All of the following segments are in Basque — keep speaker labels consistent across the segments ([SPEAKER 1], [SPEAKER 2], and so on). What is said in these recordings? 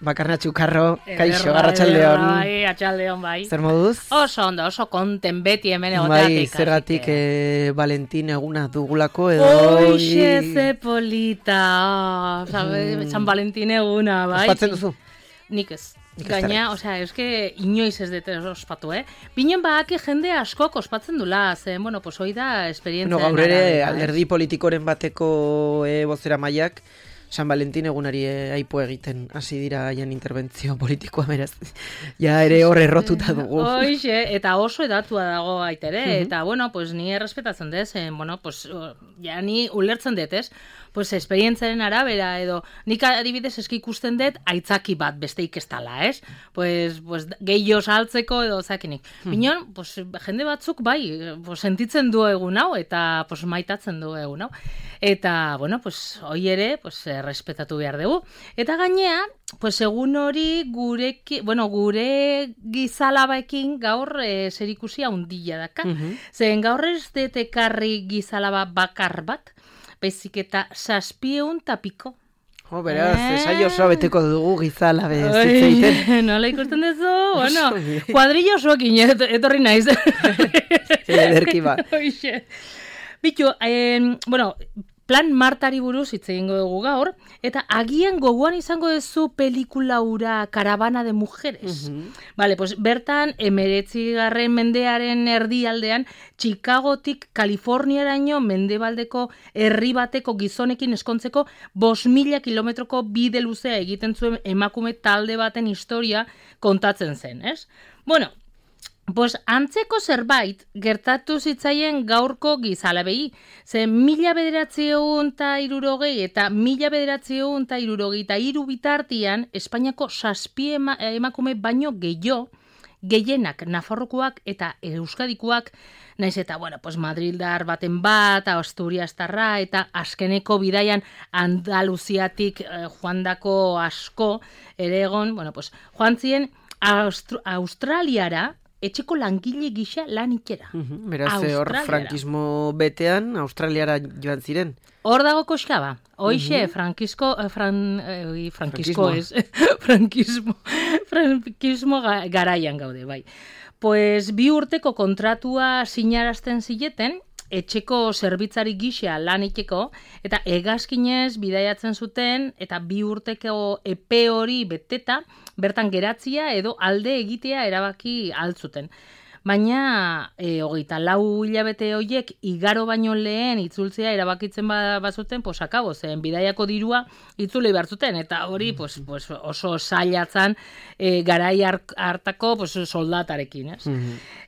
[SPEAKER 1] Bakarnatxu Karro, kaixo, arratsaldeon.
[SPEAKER 2] Bai, arratsaldeon bai.
[SPEAKER 1] Zer moduz?
[SPEAKER 2] Oso ondo, oso konten beti hemen egoteatik.
[SPEAKER 1] Bai, zergatik Valentin eguna dugulako edo...
[SPEAKER 2] Oixe, ze polita, San Valentin eguna, bai.
[SPEAKER 1] Ospatzen duzu?
[SPEAKER 2] Nik ez. Gaina, osea, eske inoiz ez dut ospatu, Binen baaki jende askok ospatzen dula, zen, bueno, pues hoi da esperientzia.
[SPEAKER 1] Gaur ere, alderdi politikoren bateko bozera maiak, San Valentin egunari aipu egiten hasi dira haien interbentzio politikoa beraz. Ja ere hor errotuta dugu.
[SPEAKER 2] Hoixe, eta oso edatua dago aitere, eta bueno, pues ni errespetatzen dez, bueno, pues ja ni ulertzen dut, pues esperientzaren arabera edo nik adibidez eski ikusten dut aitzaki bat besteik ez dala, Pues gehiago saltzeko edo zakinik. Binon, pues jende batzuk bai, pues sentitzen du egun hau eta pues maitatzen du egun hau. Eta bueno, pues hoi ere, pues respetatu behar dugu. Eta gainea, pues egun hori gure gizalabaekin gaur zerikusia handia daka. Zen gaur ez dut ekarri gizalaba bakar bat, baizik eta 700 piko.
[SPEAKER 1] Beraz, esaio osoa beteko dugu gizalabe zitzeiten.
[SPEAKER 2] Nola ikusten duzu? Bueno, kuadrillo osoekin etorri naiz.
[SPEAKER 1] Ederki bat.
[SPEAKER 2] Bitu, bueno, Plan Martari buruz hitz egingo dugu gaur, eta agian gogoan izango duzu pelikula hura Caravana de Mujeres. Vale, pues bertan 19. mendearen erdialdean Chicagotik Kaliforniaraino mendebaldeko herri bateko gizonekin eskontzeko 5.000 kilometroko bide luzea egiten zuen emakume talde baten historia kontatzen zen, Bueno, pues antzeko zerbait gertatu zitzaien gaurko gizalabei, ze 1960 eta 1963 bitartian Espainiako 7 emakume baino gehienak Nafarrokoak eta Euskadikoak, naiz eta, bueno, pues Madrildar baten bat, Asturiastarra eta azkeneko bidaian Andaluziatik joandako asko ere egon, bueno, pues joan ziren Australiara, etxeko langile gisa lan ikera.
[SPEAKER 1] Beraz, hor frankismo betean, Australiara joan ziren.
[SPEAKER 2] Hor dago koskaba. Hoixe, frankismo garaian gaude, bai. Pues 2 urteko kontratua sinarazten zileten, etxeko zerbitzari gisa lan ikeko, eta hegazkinez bidaiatzen zuten, eta 2 urteko epe hori beteta, bertan geratzia edo alde egitea erabaki altzuten. Baina, 24 hilabete horiek igaro baino lehen itzultzea erabakitzen bazuten, pues akabo, zen bidaiako dirua itzuli behar zuten, eta hori pues oso zailatzen garai hartako soldatarekin,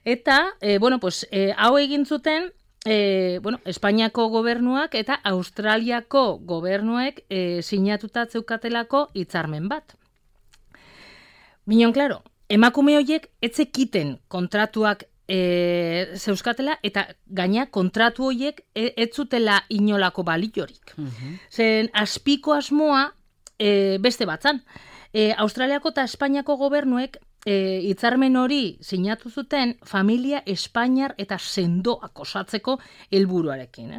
[SPEAKER 2] Eta, bueno, pues hau egin zuten, Espainiako gobernuak eta Australiako gobernuek sinatuta zeukatelako hitzarmen bat. Binon, klaro, emakume horiek etzekiten kontratuak zeuskatela eta gaina kontratu horiek ez zutela inolako baliorik. Zen azpiko asmoa beste batzan. Australiako eta Espainiako gobernuek hitzarmen hori sinatu zuten familia espainiar eta sendoak osatzeko helburuarekin,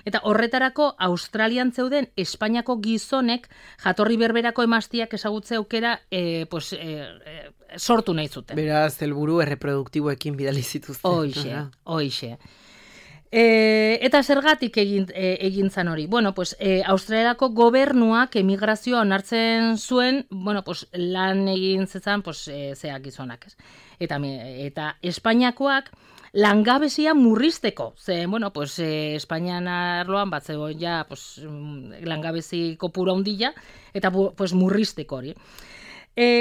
[SPEAKER 2] Eta horretarako Australian zeuden Espainiako gizonek jatorri berberako emaztiak ezagutze aukera sortu nahi zuten.
[SPEAKER 1] Beraz, helburu erreproduktiboekin bidali zituzten.
[SPEAKER 2] Hoixe. Eta zergatik egin zan hori? Bueno, pues Australiako gobernuak emigrazioa onartzen zuen, bueno, pues lan egin zezan, pues zeak gizonak, Eta Espainiakoak langabezia murrizteko. Ze, bueno, pues Espainian arloan bat zegoen ja, pues langabezi kopura handia eta pues murrizteko hori.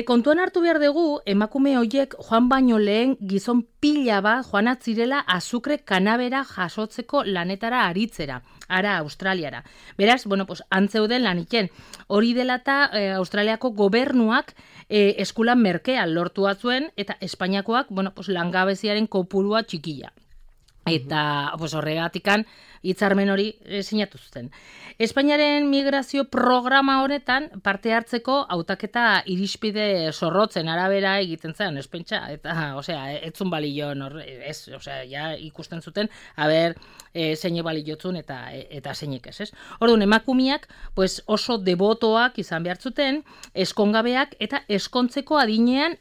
[SPEAKER 2] Kontuan hartu behar dugu, emakume horiek joan baino lehen gizon pila bat joan atzirela azukre kanabera jasotzeko lanetara aritzera, ara Australiara. Beraz, bueno, pues antzeuden laniken. Hori dela eta Australiako gobernuak eskulan merkea lortu zuen eta Espainiakoak, bueno, pues langabeziaren kopurua txikila. Eta horregatikan hitzarmen hori sinatu zuten. Espainiaren migrazio programa honetan parte hartzeko hautaketa irizpide zorrotzen arabera egiten zen, ez pentsa, eta, etzun balio, ja ikusten zuten, zeine baliotzun eta zeinek ez. Orduan, emakumiak oso debotoak izan behar zuten, eskongabeak eta eskontzeko adinean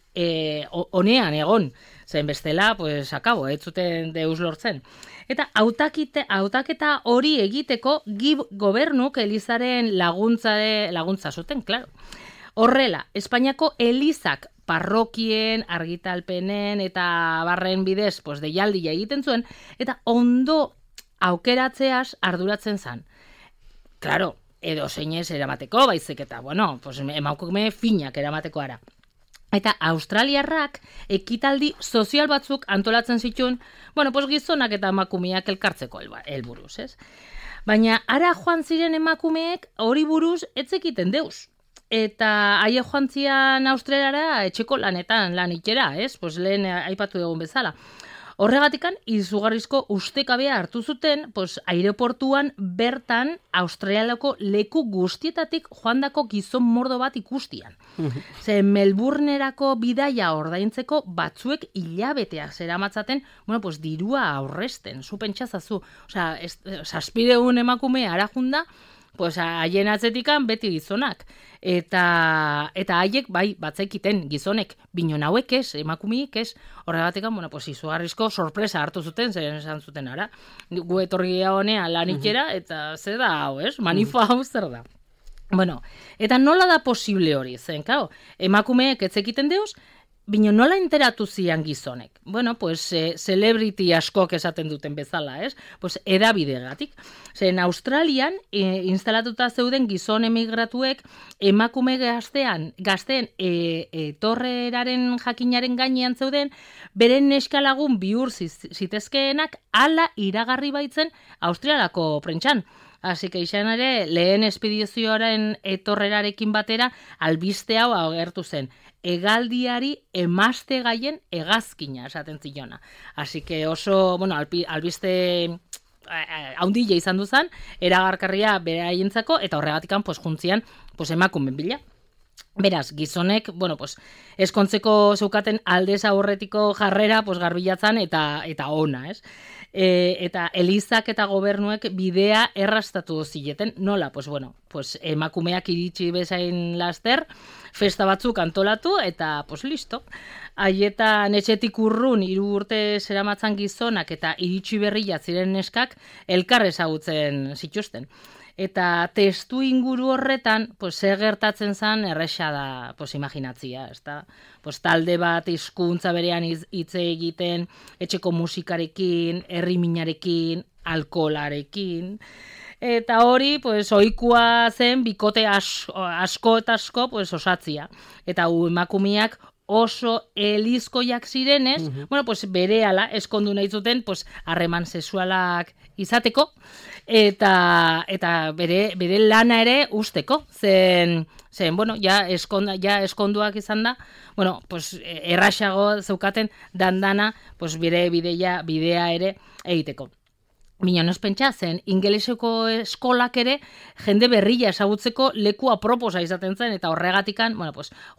[SPEAKER 2] honean egon. Zen bestela, akabo, ez zuten deus lortzen. Eta hautaketa hori egiteko gobernuk Elizaren laguntza zuten, klaro. Horrela, Espainiako Elizak parrokien, argitalpenen eta barren bidez deialdia egiten zuen, eta ondo aukeratzeaz arduratzen zan. Klaro, edo zeinez eramateko, baizik eta, emakume finak eramateko ara. Eta australiarrak ekitaldi sozial batzuk antolatzen zituen, gizonak eta emakumeak elkartzeko helburuz, ez? Baina ara joan ziren emakumeek hori buruz etzekiten deus. Eta haie joan zian Australiara etxeko lanetan lan itxera, ez? Lehen aipatu egun bezala. Horregatikan, izugarrizko ustekabea hartu zuten, aireportuan bertan Australiako leku guztietatik joandako gizon mordo bat ikustian. Ze Melbournerako bidaia ordaintzeko batzuek hilabeteak zeramatzaten, dirua aurresten, zu pentsazazu. Zazpideun emakume arajunda, haien atzetikan beti gizonak. Eta haiek batzekiten gizonek, binon hauek ez, emakumeik ez, horregatekan, izugarrizko sorpresa hartu zuten, zer esan zuten ara. Gu etorri honean lan itxera, eta zer da hau, ez? Manifa hau zer da. Eta nola da posible hori, zen, kao? Emakumeek etzekiten deuz, bino nola enteratu zian gizonek? Celebrity askok esaten duten bezala, ez? Edabidegatik. Zen Australian instalatuta zeuden gizon emigratuek emakume gazteen etorreraren jakinaren gainean zeuden, beren neskalagun bihur zitezkeenak hala iragarri baitzen Australiako prentsan. Así que izan ere, lehen espedizioaren etorrerarekin batera, albiste hau agertu zen. Hegaldiari emazte gaien hegazkina esaten zilona. Así que oso, albiste haundile izan duzan, eragarkarria bere haientzako, eta horregatikan juntzian emakumen bila. Beraz, gizonek, eskontzeko zeukaten aldez aurretiko jarrera garbilatzan eta ona, ez? Eta Elizak eta gobernuek bidea errastatu zileten, nola? Emakumeak iritsi bezain laster, festa batzuk antolatu, eta listo. Haietan etxetik urrun 3 urte zeramatzan gizonak eta iritsi berria ziren neskak elkar ezagutzen zituzten. Eta testu inguru horretan, zer gertatzen zen erresa da, imaginatzia, ezta? Talde bat hizkuntza berean hitz egiten, etxeko musikarekin, herriminarekin, alkoholarekin. Eta hori, ohikoa zen bikote asko eta asko osatzia. Eta emakumeak oso elizkoiak zirenez, berehala eskondu nahi zuten harreman sexualak izateko, eta bere lana ere usteko, zen eskonduak izan da, erraxago zeukaten dandana, bere bidea ere egiteko. Bina noz pentsa, zen ingeleseko eskolak ere jende berria ezagutzeko leku aproposa izaten zen, eta horregatikan,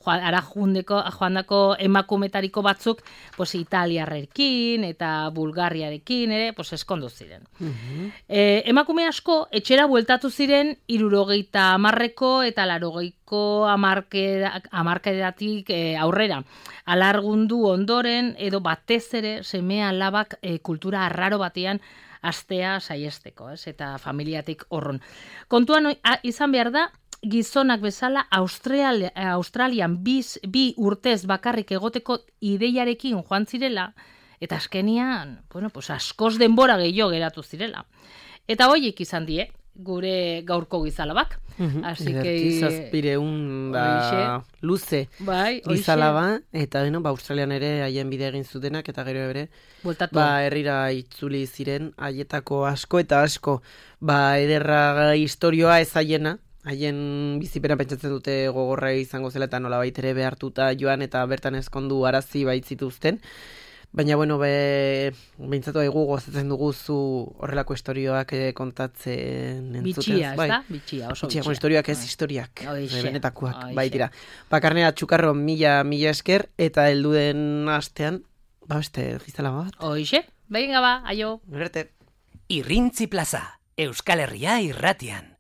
[SPEAKER 2] ara joandako emakumetariko batzuk, italiarrekin eta bulgariarekin ere, eskondu ziren. Emakume asko, etxera bueltatu ziren 70ko eta 80ko hamarkadatik aurrera. Alargundu ondoren, edo batez ere, semea alabak kultura arraro batean astea saiesteko, ez? Eta familiatik horron. Kontuan izan behar da, gizonak bezala Australian bi urtez bakarrik egoteko ideiarekin joan zirela, eta azkenian, askoz denbora gehiago geratu zirela. Eta hoiek izan die, gure gaurko gizalabak. Así que
[SPEAKER 1] zazpireun luze gizalaba, eta Australian ere haien bide egin zutenak, eta gero ere herrira itzuli ziren haietako asko eta asko ederra historioa ez haiena, haien bizipena pentsatzen dute gogorra izango zela eta nola baitere behartuta joan eta bertan ezkondu arazi baitzituzten. Baina, bueno, behintzatu haigu gozatzen duguzu horrelako istorioak kontatzen entzuten.
[SPEAKER 2] Bitxia, ez da? Bitxia, oso bitxia.
[SPEAKER 1] Istorioak ez historiak, benetakoak, baitira. Karnea Txukarro mila esker, eta helduen astean, beste giztela bat.
[SPEAKER 2] Hoixe, venga ba, aio.
[SPEAKER 1] Gerte.
[SPEAKER 3] Irrintzi plaza, Euskal Herria irratian.